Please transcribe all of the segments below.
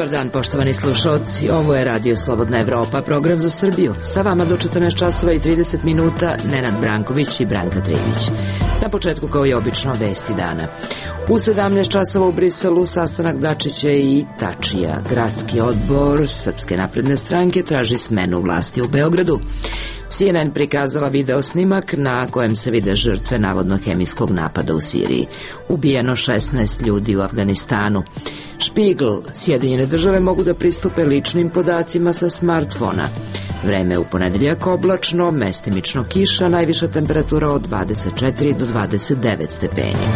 Dobar dan, poštovani slušalci. Ovo je Radio Slobodna Evropa, program za Srbiju. Sa vama do 14 časova i 30 minuta Nenad Branković i Branka Trivić. Na početku, kao i obično, vesti dana. U 17 časova u Briselu sastanak Dačića i Tačija. Gradski odbor Srpske napredne stranke traži smenu vlasti u Beogradu. CNN prikazala video snimak na kojem se vide žrtve navodno hemijskog napada u Siriji. Ubijeno 16 ljudi u Afganistanu. Špigl, Sjedinjene države mogu da pristupe ličnim podacima sa smartfona. Vreme u ponedeljak oblačno, mestimično kiša, najviša temperatura od 24 do 29 stepeni.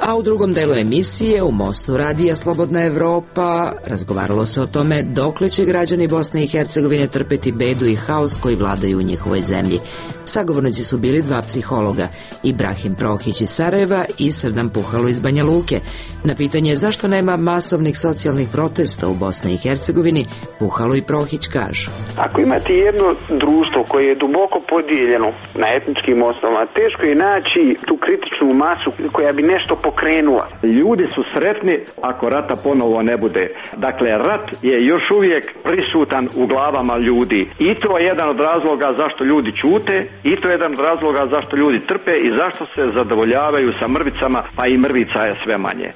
A u drugom delu emisije, u mostu Radija Slobodna Evropa, razgovaralo se o tome dokle će građani Bosne i Hercegovine trpeti bedu i haos koji vladaju u njihovoj zemlji. Sagovornici su bili dva psihologa, Ibrahim Prohić iz Sarajeva i Srdan Puhalo iz Banja Luke. Na pitanje zašto nema masovnih socijalnih protesta u Bosni i Hercegovini, Puhalo i Prohić kažu. Ako imate jedno društvo koje je duboko podijeljeno na etničkim osnovama, teško je naći tu kritičnu masu koja bi nešto pokrenula. Ljudi su sretni ako rata ponovo ne bude. Dakle, rat je još uvijek prisutan u glavama ljudi. I to je jedan od razloga zašto ljudi ćute, i to je jedan od razloga zašto ljudi trpe i zašto se zadovoljavaju sa mrvicama, pa i mrvica je sve manje.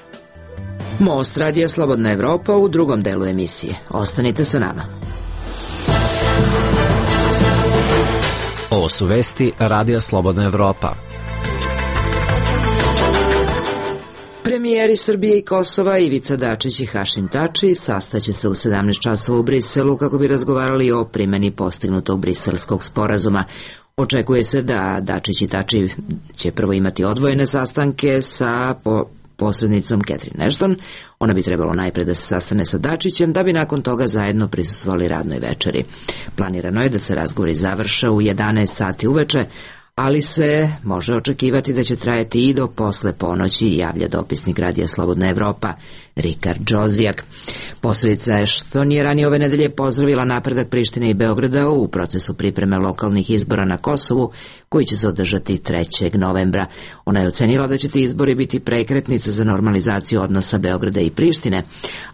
Most Radija Slobodna Evropa u drugom delu emisije. Ostanite sa nama. Ovo su vesti Radija Slobodna Evropa. Premijeri Srbije i Kosova Ivica Dačić i Hašim Tači sastaće se u 17 časova u Briselu kako bi razgovarali o primjeni postignutog briselskog sporazuma. Očekuje se da Dačić i Tači će prvo imati odvojene sastanke sa posrednicom Catherine Ashton. Ona bi trebalo najpre da se sastane sa Dačićem, da bi nakon toga zajedno prisustvovali radnoj večeri. Planirano je da se razgovori završe u 11 sati uveče, ali se može očekivati da će trajati i do posle ponoći, javlja dopisnik Radija Slobodna Evropa Rikard Džozvijak. Posrednica Ashton je ranije ove nedelje pozdravila napredak Prištine i Beograda u procesu pripreme lokalnih izbora na Kosovu, koji će se održati 3. novembra. Ona je ocenila da će ti izbori biti prekretnica za normalizaciju odnosa Beograda i Prištine,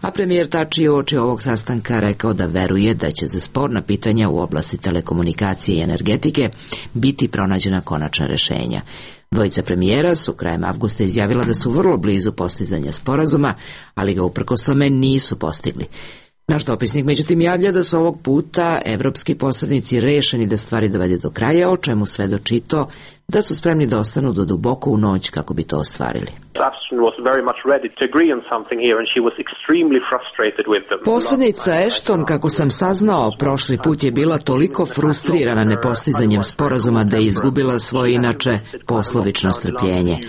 a premijer Tači je uoči ovog sastanka rekao da veruje da će za sporna pitanja u oblasti telekomunikacije i energetike biti pronađena konačna rešenja. Dvojica premijera su krajem avgusta izjavila da su vrlo blizu postizanja sporazuma, ali ga uprkos tome nisu postigli. Naš dopisnik međutim javlja da su ovog puta evropski posrednici rešeni da stvari dovedu do kraja, o čemu svedoči to da su spremni da ostanu do duboko u noć kako bi to ostvarili. Posrednica Ashton, kako sam saznao, prošli put je bila toliko frustrirana nepostizanjem sporazuma da je izgubila svoje inače poslovično strpljenje.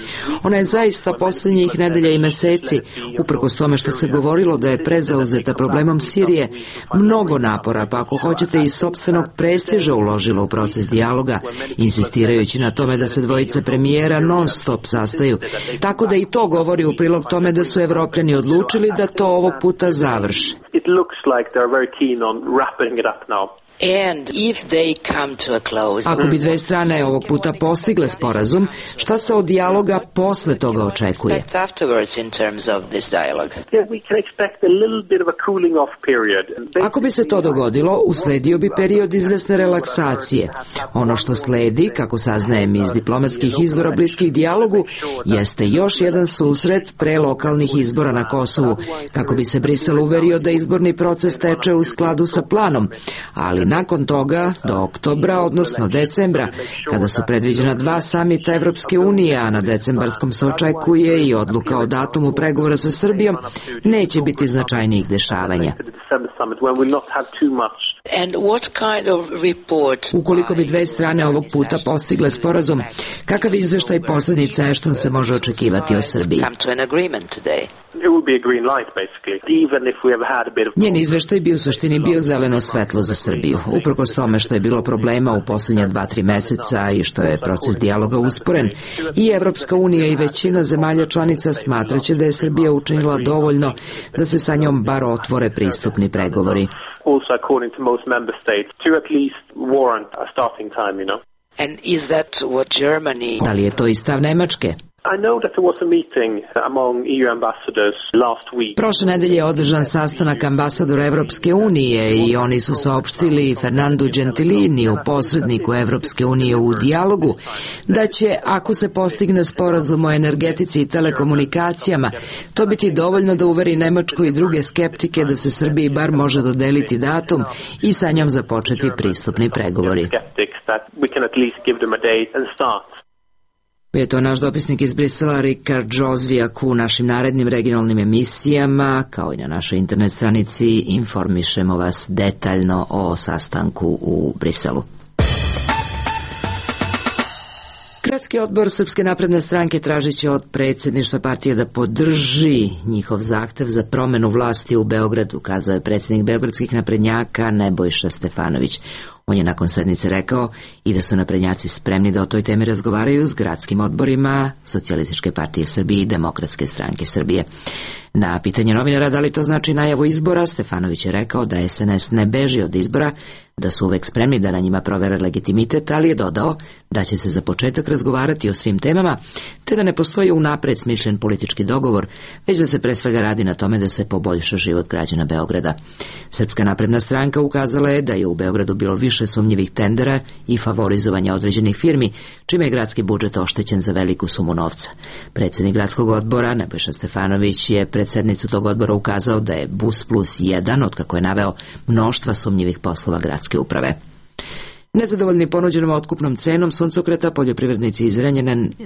Ona je zaista posljednjih nedelja i meseci, uprkos tome što se govorilo da je prezauzeta problemom Sirije, mnogo napora, pa ako hoćete i sopstvenog prestiža uložila u proces dijaloga, insistirajući na tome da se dvojice premijera non stop sastaju, tako da i to govori u prilog tome da su Evropljani odlučili da to ovog puta završe. Ako bi dve strane ovog puta postigle sporazum, šta se od dijaloga posle toga očekuje? Ako bi se to dogodilo, usledio bi period izvesne relaksacije. Ono što sledi, kako saznajem iz diplomatskih izvora bliskih dijalogu, jeste još jedan susret pre lokalnih izbora na Kosovu, kako bi se Brisel uverio da izborni proces teče u skladu sa planom, ali nakon toga, do oktobra, odnosno decembra, kada su predviđena 2 samita Evropske unije, a na decembarskom se očekuje i odluka o datumu pregovora sa Srbijom, neće biti značajnijih dešavanja. Ukoliko bi dve strane ovog puta postigle sporazum, kakav izveštaj posrednice Ashton se može očekivati o Srbiji? Njen izveštaj bi u suštini bio zeleno svetlo za Srbiju. Uprkos tome što je bilo problema u posljednja 2-3 meseca i što je proces dijaloga usporen, i Evropska unija i većina zemalja članica smatraće da je Srbija učinila dovoljno da se sa njom bar otvore pristupni pregovori. Da li je to i stav Nemačke? Prošle nedelje je održan sastanak ambasadora Evropske unije i oni su saopštili Fernandu Gentiliniju, posredniku Evropske unije u dijalogu, da će, ako se postigne sporazum o energetici i telekomunikacijama, to biti dovoljno da uveri Nemačku i druge skeptike da se Srbiji bar može dodeliti datum i sa njom započeti pristupni pregovori. Je to naš dopisnik iz Brisela, Rikard Džozvijak. U našim narednim regionalnim emisijama, kao i na našoj internet stranici, informišemo vas detaljno o sastanku u Briselu. Gradski odbor Srpske napredne stranke tražit će od predsjedništva partije da podrži njihov zahtev za promenu vlasti u Beogradu, kazao je predsjednik beogradskih naprednjaka Nebojša Stefanović. On je nakon sednice rekao i da su naprednjaci spremni da o toj temi razgovaraju s gradskim odborima Socijalističke partije Srbije i Demokratske stranke Srbije. Na pitanje novinara da li to znači najavu izbora, Stefanović je rekao da SNS ne beži od izbora, da su uvek spremni da na njima provere legitimitet, ali je dodao da će se za početak razgovarati o svim temama, te da ne postoji unapred smišljen politički dogovor, već da se pre svega radi na tome da se poboljša život građana Beograda. Srpska napredna stranka ukazala je da je u Beogradu bilo više sumnjivih tendera i favorizovanja određenih firmi, čime je gradski budžet oštećen za veliku sumu novca. Predsjednik gradskog odbora Nebojša Stefanović je pred sednicu tog odbora ukazao da je Bus Plus 1, otkako je naveo mnoštva sumnjivih poslova gradske uprave. Nezadovoljni ponuđenom otkupnom cenom suncokreta, poljoprivrednici iz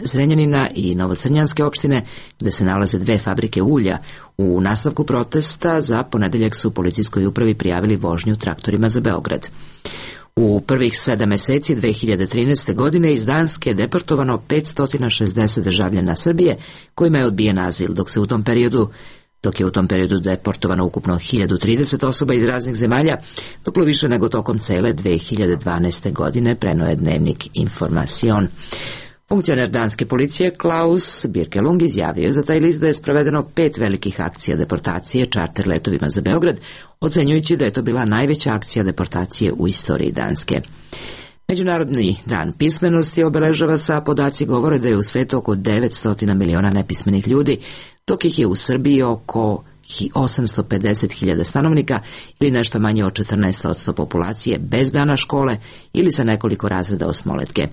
Zrenjanina i Novocrnjanske opštine, gde se nalaze dve fabrike ulja, u nastavku protesta za ponedeljak su policijskoj upravi prijavili vožnju traktorima za Beograd. U prvih 7 meseci 2013. godine iz Danske je deportovano 560 državljana Srbije kojima je odbijen azil, dok je u tom periodu deportovano ukupno 1030 osoba iz raznih zemalja, duplo više nego tokom cele 2012. godine, preno je dnevnik Informacion. Funkcioner danske policije Klaus Birkelung izjavio za taj list da je sprovedeno 5 velikih akcija deportacije čarter letovima za Beograd, ocenjujući da je to bila najveća akcija deportacije u istoriji Danske. Međunarodni dan pismenosti obeležava sa podaci govore da je u svetu oko 900 miliona nepismenih ljudi, dok ih je u Srbiji oko 850.000 stanovnika ili nešto manje od 14% populacije bez dana škole ili sa nekoliko razreda osmoletke.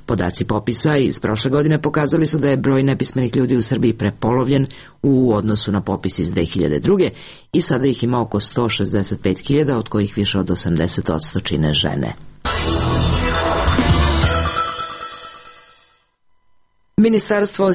Podaci popisa iz prošle godine pokazali su da je broj nepismenih ljudi u Srbiji prepolovljen u odnosu na popis iz 2002. i sada ih ima oko 165.000, od kojih više od 80% čine žene. Ministarstvo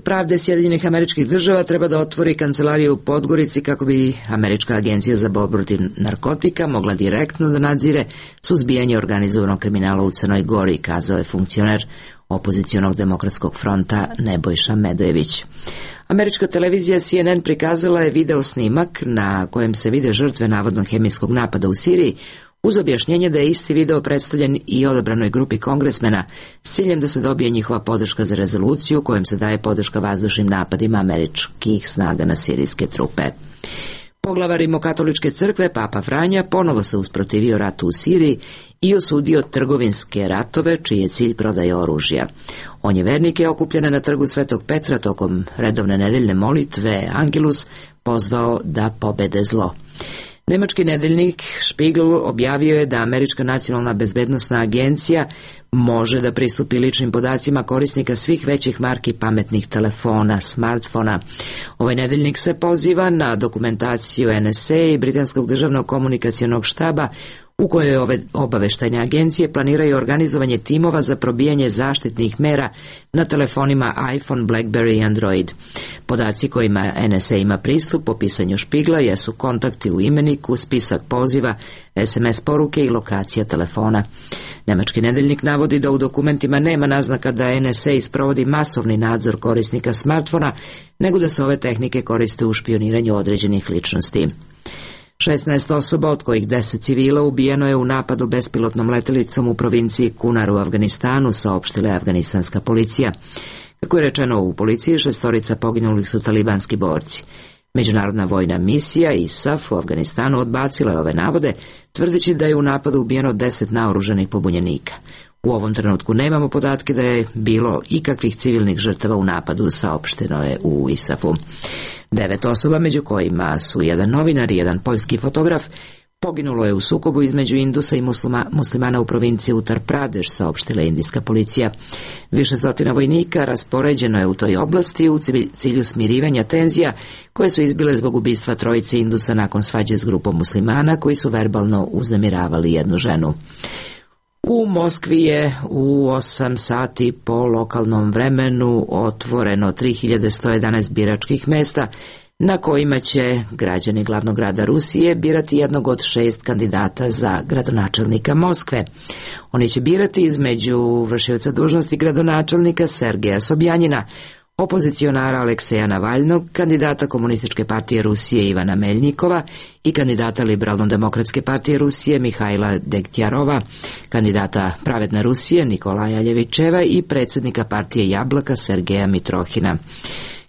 pravde Sjedinjenih Američkih Država treba da otvori kancelariju u Podgorici kako bi Američka agencija za borbu protiv narkotika mogla direktno da nadzire suzbijanje organizovanog kriminala u Crnoj Gori, kazao je funkcioner opozicionog demokratskog fronta Nebojša Medojević. Američka televizija CNN prikazala je video snimak na kojem se vide žrtve navodnog hemijskog napada u Siriji, uz objašnjenje da je isti video predstavljen i odabranoj grupi kongresmena s ciljem da se dobije njihova podrška za rezoluciju kojom se daje podrška vazdušnim napadima američkih snaga na sirijske trupe. Poglavar Rimokatoličke crkve, Papa Franja, ponovo se usprotivio ratu u Siriji i osudio trgovinske ratove čiji je cilj prodaja oružja. On je vernike okupljene na trgu Svetog Petra tokom redovne nedeljne molitve Angelus pozvao da pobede zlo. Nemački nedeljnik Spiegel objavio je da Američka nacionalna bezbednosna agencija može da pristupi ličnim podacima korisnika svih većih marki pametnih telefona, smartfona. Ovaj nedeljnik se poziva na dokumentaciju NSA i Britanskog državnog komunikacionog štaba u kojoj ove obaveštajne agencije planiraju organizovanje timova za probijanje zaštitnih mera na telefonima iPhone, BlackBerry i Android. Podaci kojima NSA ima pristup po pisanju Špigla jesu kontakti u imeniku, spisak poziva, SMS poruke i lokacija telefona. Nemački nedeljnik navodi da u dokumentima nema naznaka da NSA sprovodi masovni nadzor korisnika smartfona, nego da se ove tehnike koriste u špioniranju određenih ličnosti. 16 osoba, od kojih 10 civila, ubijeno je u napadu bespilotnom letelicom u provinciji Kunar u Afganistanu, saopštila je afganistanska policija. Kako je rečeno u policiji, 6 poginulih su talibanski borci. Međunarodna vojna misija ISAF u Afganistanu odbacila je ove navode, tvrdeći da je u napadu ubijeno 10 naoružanih pobunjenika. U ovom trenutku nemamo podatke da je bilo ikakvih civilnih žrtava u napadu, saopšteno je u ISAF-u. 9 osoba, među kojima su jedan novinar i jedan poljski fotograf, poginulo je u sukobu između Indusa i muslimana u provinciji Uttar Pradeš, saopštila indijska policija. Više stotina vojnika raspoređeno je u toj oblasti u cilju smirivanja tenzija koje su izbile zbog ubistva trojice Indusa nakon svađe s grupom muslimana koji su verbalno uznemiravali jednu ženu. U Moskvi je u 8 sati po lokalnom vremenu otvoreno 3111 biračkih mesta na kojima će građani glavnog grada Rusije birati jednog od 6 kandidata za gradonačelnika Moskve. Oni će birati između vršioca dužnosti gradonačelnika Sergeja Sobjanina, opozicionara Alekseja Navalnog, kandidata Komunističke partije Rusije Ivana Meljnikova i kandidata Liberalno-demokratske partije Rusije Mihajla Degtjarova, kandidata Pravedne Rusije Nikolaja Ljevičeva i predsjednika partije Jablaka Sergeja Mitrohina.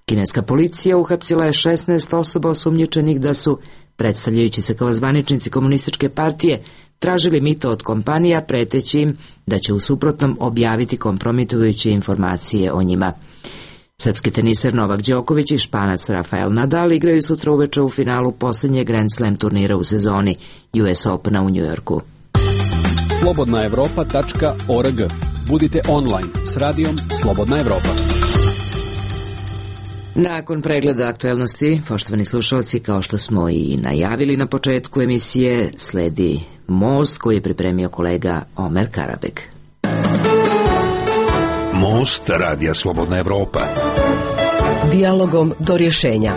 Kineska policija uhapsila je 16 osoba osumnjičenih da su, predstavljajući se kao zvaničnici Komunističke partije, tražili mito od kompanija preteći im da će u suprotnom objaviti kompromitujuće informacije o njima. Srpski teniser Novak Đoković i Španac Rafael Nadal igraju sutra uveče u finalu posljednjeg Grand Slam turnira u sezoni US Opena u Njujorku. slobodnaevropa.org. Budite online s radijom Slobodna Evropa. Nakon pregleda aktuelnosti, poštovani slušalci, kao što smo i najavili na početku emisije, sledi Most koji je pripremio kolega Omer Karabek. Most radija Slobodna Evropa. Dijalogom do rješenja.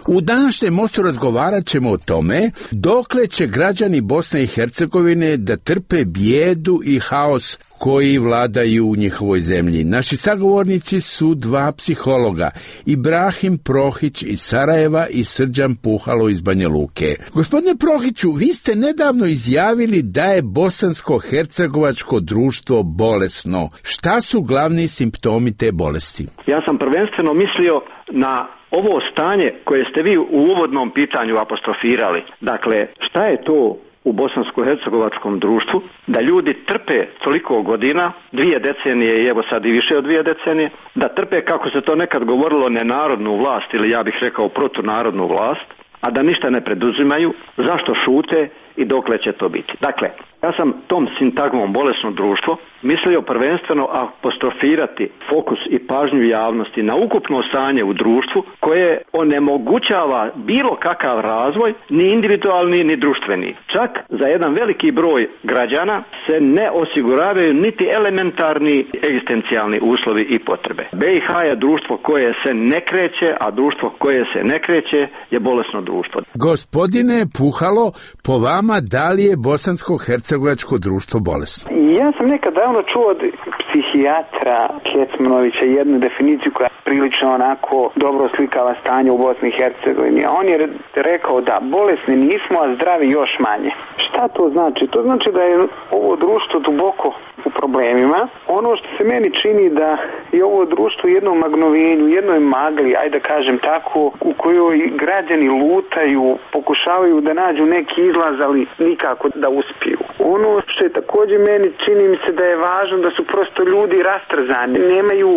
U današnjem Mostu razgovarat ćemo o tome dokle će građani Bosne i Hercegovine da trpe bijedu i haos koji vladaju u njihovoj zemlji. Naši sagovornici su 2 psihologa, Ibrahim Prohić iz Sarajeva i Srđan Puhalo iz Banja Luke. Gospodine Prohiću, vi ste nedavno izjavili da je bosansko-hercegovačko društvo bolesno. Šta su glavni simptomi te bolesti? Ja sam prvenstveno mislio na ovo stanje koje ste vi u uvodnom pitanju apostrofirali. Dakle, šta je to u bosansko-hercegovačkom društvu, da ljudi trpe toliko godina, 2 decenije i evo sad i više od 2 decenije, da trpe, kako se to nekad govorilo, nenarodnu vlast ili ja bih rekao protunarodnu vlast, a da ništa ne preduzimaju, zašto šute i dokle će to biti. Dakle, ja sam tom sintagmom bolesno društvo mislio prvenstveno apostrofirati fokus i pažnju javnosti na ukupno stanje u društvu koje onemogućava bilo kakav razvoj, ni individualni ni društveni. Čak za jedan veliki broj građana se ne osiguravaju niti elementarni egzistencijalni uslovi i potrebe. BiH je društvo koje se ne kreće, a društvo koje se ne kreće je bolesno društvo. Gospodine Puhalo, po vama da li je bosansko-hercegovačko društvo bolesno? Ja sam nekad davno čuo od psihijatra Kecmanovića jednu definiciju koja prilično onako dobro slikava stanje u Bosni i Hercegovini. On je rekao da bolesni nismo, a zdravi još manje. Šta to znači? To znači da je ovo društvo duboko u problemima. Ono što se meni čini da je ovo društvo u jednom magnovenju, jednoj magli, ajde da kažem tako, u kojoj građani lutaju, pokušavaju da nađu neki izlaz, ali nikako da uspiju. Ono što je također meni čini mi se da je važno da su prosto ljudi rastrzani, nemaju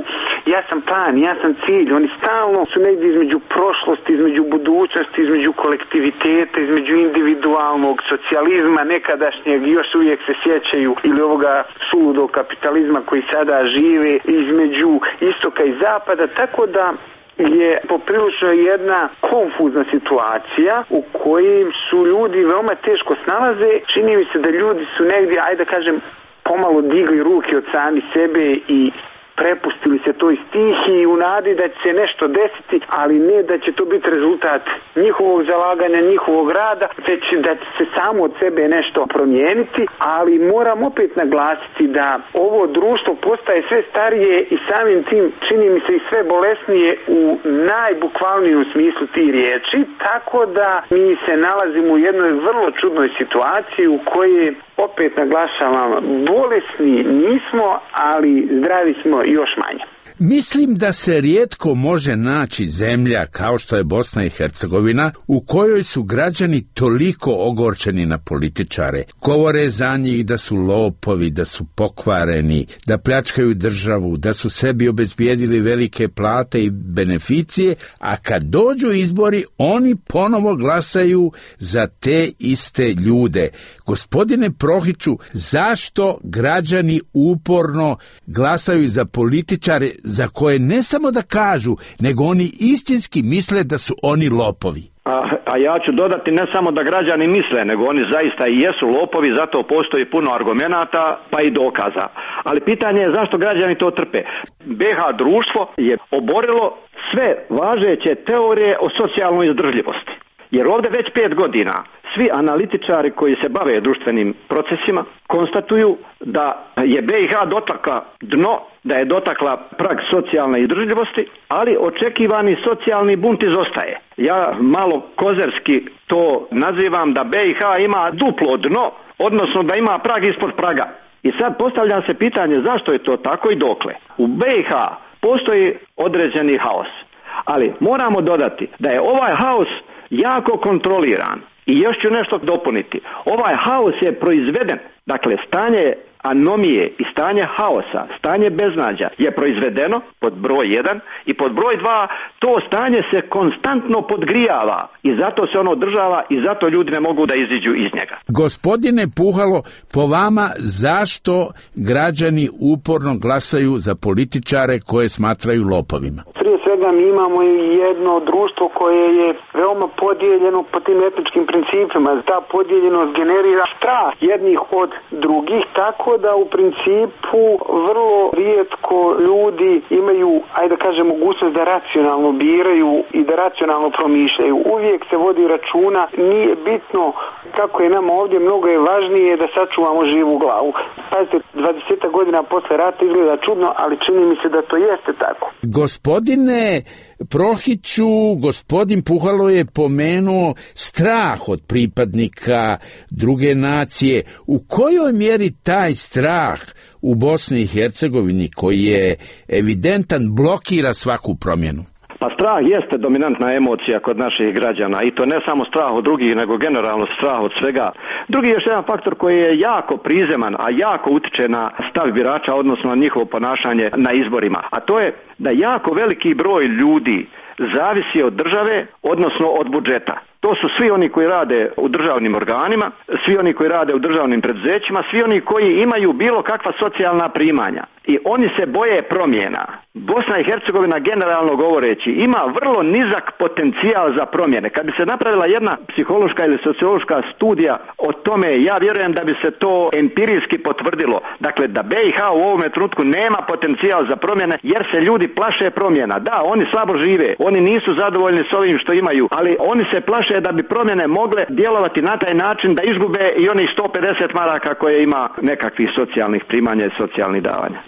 jasan plan, jasan cilj, oni stalno su negdje između prošlosti, između budućnosti, između kolektiviteta, između individualnog socijalizma nekadašnjeg, još uvijek se sjećaju, ili ovoga suludog kapitalizma koji sada žive, između istoka i zapada, tako da je poprilično jedna konfuzna situacija u kojim su ljudi veoma teško snalaze. Čini mi se da ljudi su negdje, ajde da kažem, pomalo digli ruke od sami sebe i prepustili se toj stihiji u nadi da će se nešto desiti, ali ne da će to biti rezultat njihovog zalaganja, njihovog rada, već da će se samo od sebe nešto promijeniti, ali moram opet naglasiti da ovo društvo postaje sve starije i samim tim čini mi se i sve bolesnije u najbukvalnijem smislu tih riječi, tako da mi se nalazimo u jednoj vrlo čudnoj situaciji u kojoj, opet naglašavam, bolesni nismo, ali zdravi smo još manje. Mislim da se rijetko može naći zemlja kao što je Bosna i Hercegovina u kojoj su građani toliko ogorčeni na političare, govore za njih da su lopovi, da su pokvareni, da pljačkaju državu, da su sebi obezbijedili velike plate i beneficije, a kad dođu izbori oni ponovo glasaju za te iste ljude. Gospodine Prohiću, zašto građani uporno glasaju za političare za koje ne samo da kažu, nego oni istinski misle da su oni lopovi? A ja ću dodati ne samo da građani misle, nego oni zaista i jesu lopovi, zato postoji puno argumenata pa i dokaza. Ali pitanje je zašto građani to trpe. BiH društvo je oborilo sve važeće teorije o socijalnoj izdržljivosti. Jer ovdje već 5 godina svi analitičari koji se bave društvenim procesima konstatuju da je BiH dotakla dno, da je dotakla prag socijalne izdržljivosti, ali očekivani socijalni bunt izostaje. Ja malo kozerski to nazivam da BiH ima duplo dno, odnosno da ima prag ispod praga. I sad postavlja se pitanje zašto je to tako i dokle. U BiH postoji određeni haos, ali moramo dodati da je ovaj haos jako kontroliran. I još ću nešto dopuniti. Ovaj haos je proizveden, dakle stanje anomije i stanje haosa, stanje beznađa je proizvedeno pod broj 1 i pod broj 2 to stanje se konstantno podgrijava i zato se ono održava i zato ljudi ne mogu da iziđu iz njega. Gospodine Puhalo, po vama zašto građani uporno glasaju za političare koje smatraju lopovima? Prije svega mi imamo jedno društvo koje je veoma podijeljeno po tim etničkim principima. Ta podijeljenost generira strah jednih od drugih, tako da u principu vrlo rijetko ljudi imaju, ajde da kažem, mogućnost da racionalno biraju i da racionalno promišljaju. Uvijek se vodi računa, nije bitno kako je nama ovdje, mnogo je važnije da sačuvamo živu glavu. Pazite, 20 godina posle rata izgleda čudno, ali čini mi se da to jeste tako. Gospodine Prohiću, gospodin Puhalo je pomenuo strah od pripadnika druge nacije. U kojoj mjeri taj strah u Bosni i Hercegovini, koji je evidentan, blokira svaku promjenu? Pa strah jeste dominantna emocija kod naših građana i to ne samo strah od drugih, nego generalno strah od svega. Drugi je još jedan faktor koji je jako prizeman, a jako utiče na stav birača, odnosno na njihovo ponašanje na izborima. A to je da jako veliki broj ljudi zavisi od države, odnosno od budžeta. To su svi oni koji rade u državnim organima, svi oni koji rade u državnim preduzećima, svi oni koji imaju bilo kakva socijalna primanja. I oni se boje promjena. Bosna i Hercegovina, generalno govoreći, ima vrlo nizak potencijal za promjene. Kad bi se napravila jedna psihološka ili sociološka studija o tome, ja vjerujem da bi se to empirijski potvrdilo. Dakle, da BiH u ovome trenutku nema potencijal za promjene, jer se ljudi plaše promjena. Da, oni slabo žive, oni nisu zadovoljni s ovim što imaju, ali oni se plaše da bi promjene mogle djelovati na taj način da izgube i onih 150 maraka koje ima nekakvih socijalnih primanja i socijalnih davanja.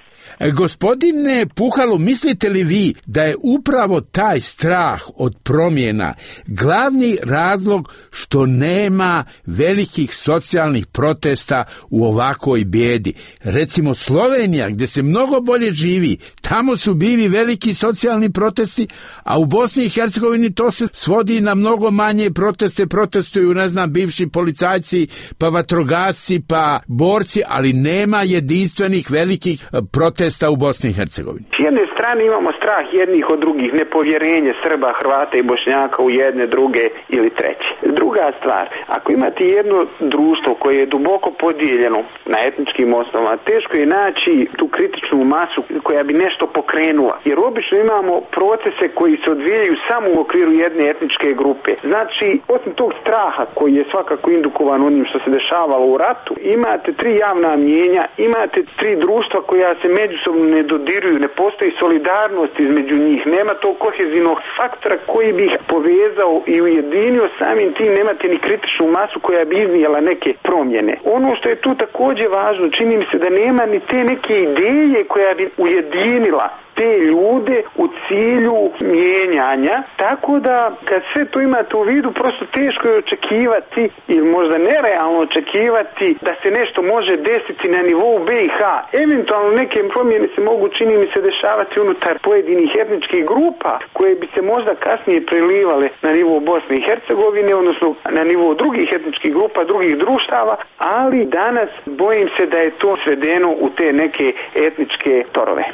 Gospodine Puhalo, mislite li vi da je upravo taj strah od promjena glavni razlog što nema velikih socijalnih protesta u ovakvoj bijedi? Recimo Slovenija, gdje se mnogo bolje živi, tamo su bili veliki socijalni protesti, a u Bosni i Hercegovini to se svodi na mnogo manje proteste, protestuju, ne znam, bivši policajci, pa vatrogasci, pa borci, ali nema jedinstvenih velikih protesta u Bosni i Hercegovini. S jedne strane imamo strah jednih od drugih, nepovjerenje Srba, Hrvata i Bošnjaka u jedne, druge ili treće. Druga stvar, ako imate jedno društvo koje je duboko podijeljeno na etničkim osnovama, teško je naći tu kritičnu masu koja bi nešto pokrenula. Jer obično imamo procese koji se odvijaju samo u okviru jedne etničke grupe. Znači, osim tog straha koji je svakako indukovan onim što se dešavalo u ratu, imate 3 javna mnijenja, imate 3 društva koja se međusobno ne dodiruju, ne postoji solidarnost između njih, nema tog kohezivnog faktora koji bi ih povezao i ujedinio, samim tim nemate ni kritičnu masu koja bi iznijela neke promjene. Ono što je tu također važno, čini mi se da nema ni te neke ideje koja bi ujedinila te ljude u cilju mijenjanja, tako da kad sve to imate u vidu, prosto teško je očekivati ili možda nerealno očekivati da se nešto može desiti na nivou BiH. Eventualno neke promjene se mogu, čini mi se, dešavati unutar pojedinih etničkih grupa koje bi se možda kasnije prelivale na nivou Bosne i Hercegovine, odnosno na nivou drugih etničkih grupa, drugih društava, ali danas bojim se da je to svedeno u te neke etničke torove.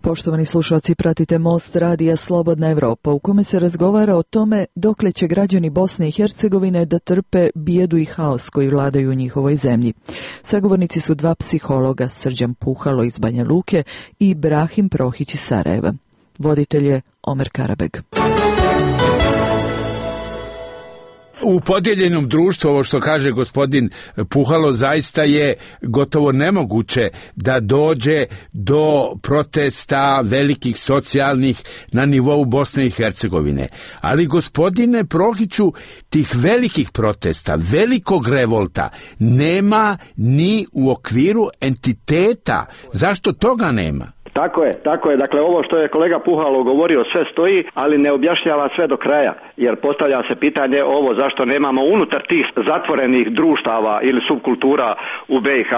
Poštovani slušalci, pratite Most radija Slobodna Evropa, u kome se razgovara o tome dokle će građani Bosne i Hercegovine da trpe bijedu i haos koji vladaju u njihovoj zemlji. Sagovornici su dva psihologa, Srđan Puhalo iz Banja Luke i Brahim Prohić iz Sarajeva. Voditelj je Omer Karabeg. U podijeljenom društvu, ovo što kaže gospodin Puhalo, zaista je gotovo nemoguće da dođe do protesta velikih socijalnih na nivou Bosne i Hercegovine. Ali gospodine Prohiću, tih velikih protesta, velikog revolta nema ni u okviru entiteta. Zašto toga nema? Tako je. Dakle, ovo što je kolega Puhalo govorio sve stoji, ali ne objašnjava sve do kraja, jer postavlja se pitanje ovo zašto nemamo unutar tih zatvorenih društava ili subkultura u BiH.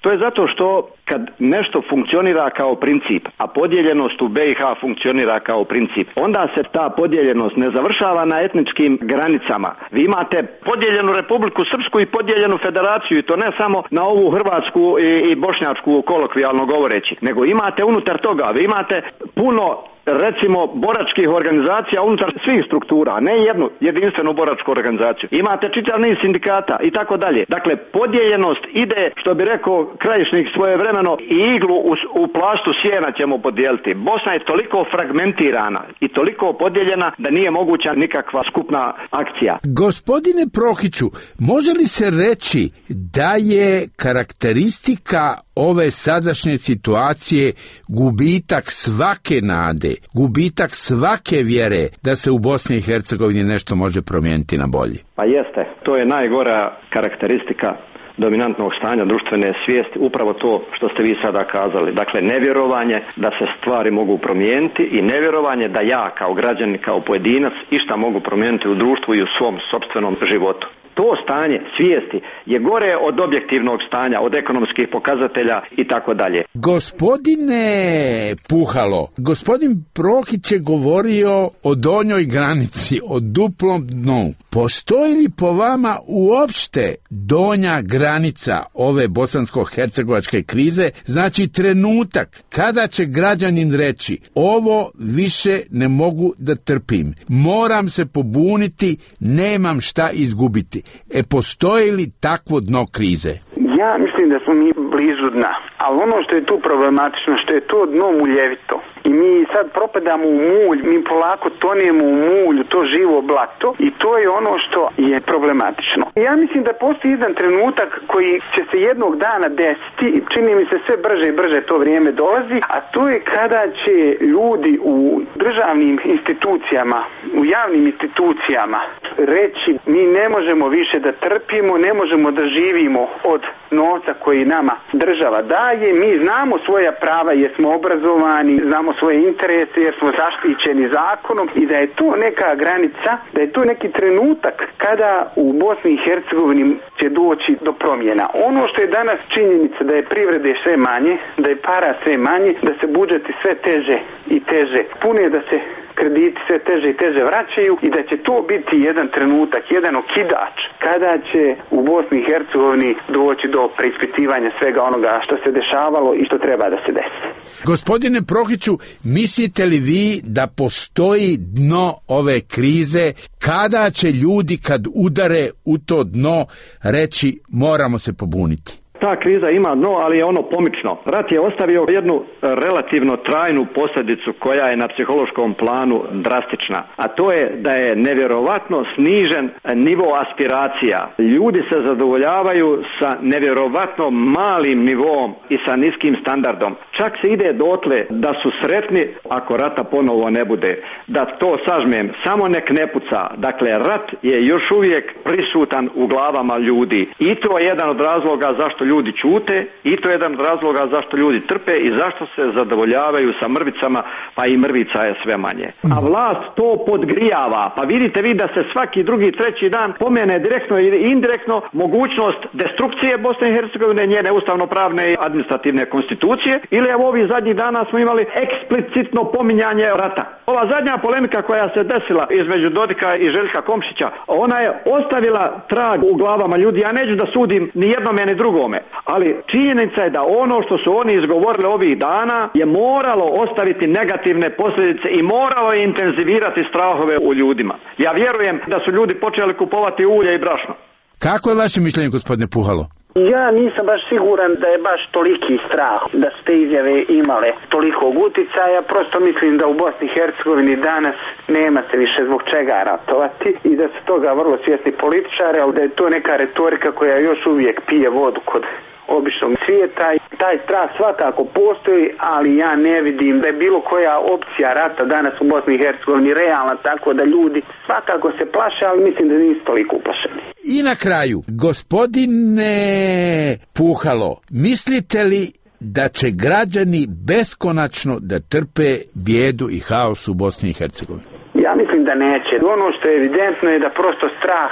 To je zato što kad nešto funkcionira kao princip, a podijeljenost u BiH funkcionira kao princip, onda se ta podijeljenost ne završava na etničkim granicama. Vi imate podijeljenu Republiku Srpsku i podijeljenu federaciju, i to ne samo na ovu hrvatsku i bošnjačku, kolokvijalno govoreći, nego imate unutar toga, vi imate puno, recimo, boračkih organizacija unutar svih struktura, ne jednu jedinstvenu boračku organizaciju. Imate čitav niz sindikata i tako dalje. Dakle, podijeljenost ide, što bi rekao Krajišnik svojevremeno, i iglu u plaštu sjena ćemo podijeliti. Bosna je toliko fragmentirana i toliko podijeljena da nije moguća nikakva skupna akcija. Gospodine Prohiću, može li se reći da je karakteristika ove sadašnje situacije gubitak svake nade, gubitak svake vjere da se u Bosni i Hercegovini nešto može promijeniti na bolje? Pa jeste, to je najgora karakteristika dominantnog stanja društvene svijesti, upravo to što ste vi sada kazali. Dakle, nevjerovanje da se stvari mogu promijeniti i nevjerovanje da ja kao građanin, kao pojedinac išta mogu promijeniti u društvu i u svom sopstvenom životu. To stanje svijesti je gore od objektivnog stanja, od ekonomskih pokazatelja i tako dalje. Gospodine Puhalo, gospodin Prohić je govorio o donjoj granici, o duplom dnu. Postoji li po vama uopšte donja granica ove bosansko-hercegovačke krize, znači trenutak kada će građanin reći ovo više ne mogu da trpim, moram se pobuniti, nemam šta izgubiti? Postoji li takvo dno krize? Ja mislim da smo mi blizu dna, ali ono što je tu problematično, što je to dno muljevito i mi sad propadamo u mulj, mi polako tonijemo u mulj, to živo blato, i to je ono što je problematično. Ja mislim da postoji jedan trenutak koji će se jednog dana desiti, čini mi se sve brže i brže to vrijeme dolazi, a to je kada će ljudi u državnim institucijama, u javnim institucijama reći mi ne možemo više da trpimo, ne možemo da živimo od novca koji nama država daje, mi znamo svoja prava jer smo obrazovani, znamo svoje interese jer smo zaštićeni zakonom, i da je to neka granica, da je to neki trenutak kada u Bosni i Hercegovini će doći do promjena. Ono što je danas činjenica da je privrede sve manje, da je para sve manje, da se budžeti sve teže i teže pune, da se krediti sve teže i teže vraćaju, i da će to biti jedan trenutak, jedan okidač kada će u Bosni i Hercegovini doći do preispitivanja svega onoga što se dešavalo i što treba da se desi. Gospodine Prohiću, mislite li vi da postoji dno ove krize, kada će ljudi kad udare u to dno reći moramo se pobuniti? Ta kriza ima dno, ali je ono pomično. Rat je ostavio jednu relativno trajnu posljedicu koja je na psihološkom planu drastična, a to je da je nevjerovatno snižen nivo aspiracija. Ljudi se zadovoljavaju sa nevjerovatno malim nivom i sa niskim standardom. Čak se ide dotle da su sretni ako rata ponovo ne bude. Da to sažmem, samo nek ne puca. Dakle, rat je još uvijek prisutan u glavama ljudi i to je jedan od razloga zašto ljudi ćute i to je jedan od razloga zašto ljudi trpe i zašto se zadovoljavaju sa mrvicama, pa i mrvica je sve manje. A vlast to podgrijava, pa vidite vi da se svaki drugi, treći dan pomene direktno i indirektno mogućnost destrukcije Bosne i Hercegovine, njene ustavno-pravne i administrativne konstitucije, ili evo ovih zadnjih dana smo imali eksplicitno pominjanje rata. Ova zadnja polemika koja se desila između Dodika i Željka Komšića, ona je ostavila trag u glavama ljudi. Ja neću da sudim ni jednome ni drugome, ali činjenica je da ono što su oni izgovorili ovih dana je moralo ostaviti negativne posljedice i moralo je intenzivirati strahove u ljudima. Ja vjerujem da su ljudi počeli kupovati ulje i brašno. Kako je vaše mišljenje, gospodine Puhalo? Ja nisam baš siguran da je baš toliki strah, da su te izjave imale tolikog uticaja. Prosto mislim da u Bosni i Hercegovini danas nema se više zbog čega ratovati i da su toga vrlo svjesni političari, ali da je to neka retorika koja još uvijek pije vodu kod običnog svijeta. Taj strah svakako postoji, ali ja ne vidim da je bilo koja opcija rata danas u Bosni i Hercegovini realna, tako da ljudi svakako se plaše, ali mislim da nisu toliko uplašeni. I na kraju, gospodine Puhalo, mislite li da će građani beskonačno da trpe bijedu i haos u Bosni i Hercegovini? Ja mislim da neće. Ono što je evidentno je da prosto strah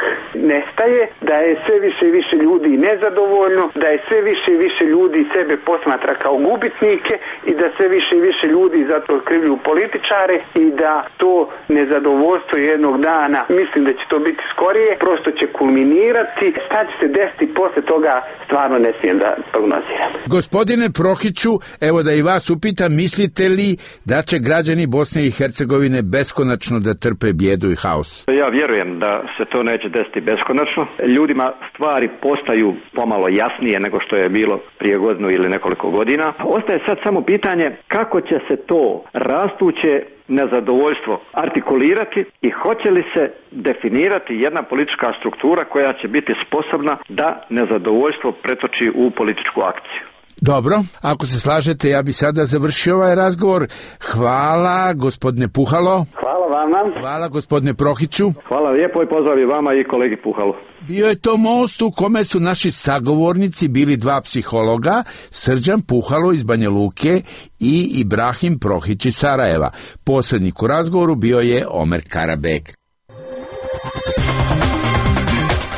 nestaje, da je sve više i više ljudi nezadovoljno, da je sve više i više ljudi sebe posmatra kao gubitnike i da sve više i više ljudi zato krivljuju političare i da to nezadovoljstvo jednog dana, mislim da će to biti skorije, prosto će kulminirati. Šta će se desiti posle toga, stvarno ne smijem da prognoziram. Gospodine Prohiću, evo da i vas upitam, mislite li da će građani Bosne i Hercegovine beskonačno da trpe bijedu i haos? Ja vjerujem da se to neće desiti beskonačno. Ljudima stvari postaju pomalo jasnije nego što je bilo prije godinu ili nekoliko godina. Ostaje sad samo pitanje kako će se to rastuće nezadovoljstvo artikulirati i hoće li se definirati jedna politička struktura koja će biti sposobna da nezadovoljstvo pretoči u političku akciju. Dobro, ako se slažete, ja bi sada završio ovaj razgovor. Hvala, gospodine Puhalo. Hvala vama. Hvala, gospodine Prohiću. Hvala lijepo i pozdrav i vama i kolegi Puhalo. Bio je to most u kome su naši sagovornici bili dva psihologa, Srđan Puhalo iz Banja Luke i Ibrahim Prohić iz Sarajeva. Posrednik u razgovoru bio je Omer Karabek.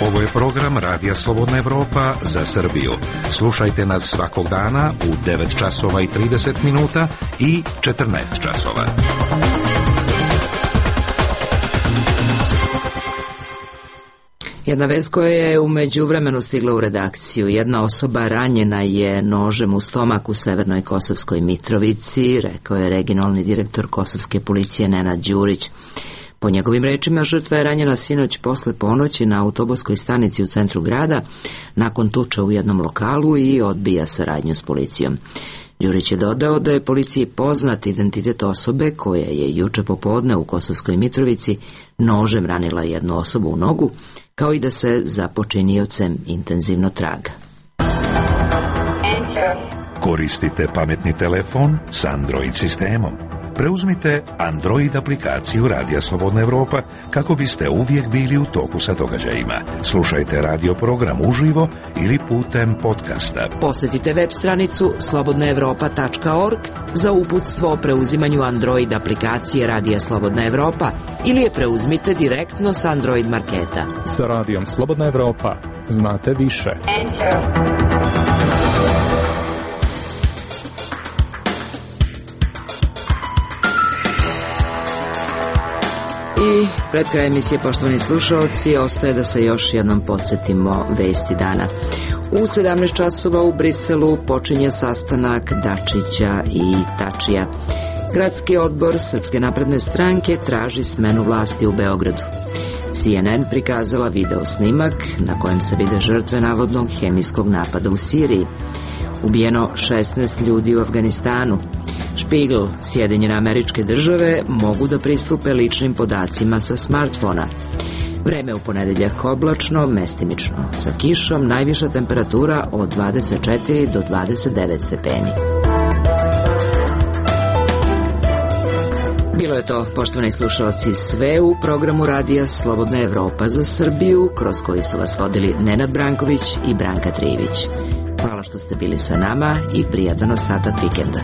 Ovo je program Radija Slobodna Evropa za Srbiju. Slušajte nas svakog dana u 9 časova i 30 minuta i 14 časova. Jedna vest koja je u međuvremenu stigla u redakciju. Jedna osoba ranjena je nožem u stomak u Severnoj Kosovskoj Mitrovici, rekao je regionalni direktor Kosovske policije Nenad Đurić. Po njegovim rečima, žrtva je ranjena sinoć posle ponoći na autobuskoj stanici u centru grada, nakon tuče u jednom lokalu i odbija saradnju s policijom. Đurić je dodao da je policiji poznat identitet osobe koja je juče popodne u Kosovskoj Mitrovici nožem ranila jednu osobu u nogu, kao i da se za počiniocem intenzivno traga. Koristite pametni telefon s Android sistemom. Preuzmite Android aplikaciju Radija Slobodna Evropa kako biste uvijek bili u toku sa događajima. Slušajte radio program uživo ili putem podcasta. Posjetite web stranicu slobodnaevropa.org za uputstvo o preuzimanju Android aplikacije Radija Slobodna Evropa ili je preuzmite direktno s Android marketa. Sa Radijom Slobodna Evropa znate više. I pred kraj emisije, poštovani slušaoci, ostaje da se još jednom podsjetimo vesti dana. U 17 časova u Briselu počinje sastanak Dačića i Tačija. Gradski odbor Srpske napredne stranke traži smenu vlasti u Beogradu. CNN prikazala video snimak na kojem se vide žrtve navodnog hemijskog napada u Siriji. Ubijeno 16 ljudi u Afganistanu. Špigl, Sjedinjene Američke Države mogu da pristupe ličnim podacima sa smartfona. Vreme u ponedeljak oblačno, mestimično sa kišom, najviša temperatura od 24 do 29 stepeni. Bilo je to, poštovani slušalci, sve u programu Radija Slobodna Evropa za Srbiju, kroz koji su vas vodili Nenad Branković i Branka Trivić. Hvala što ste bili sa nama i prijatan ostatak vikenda.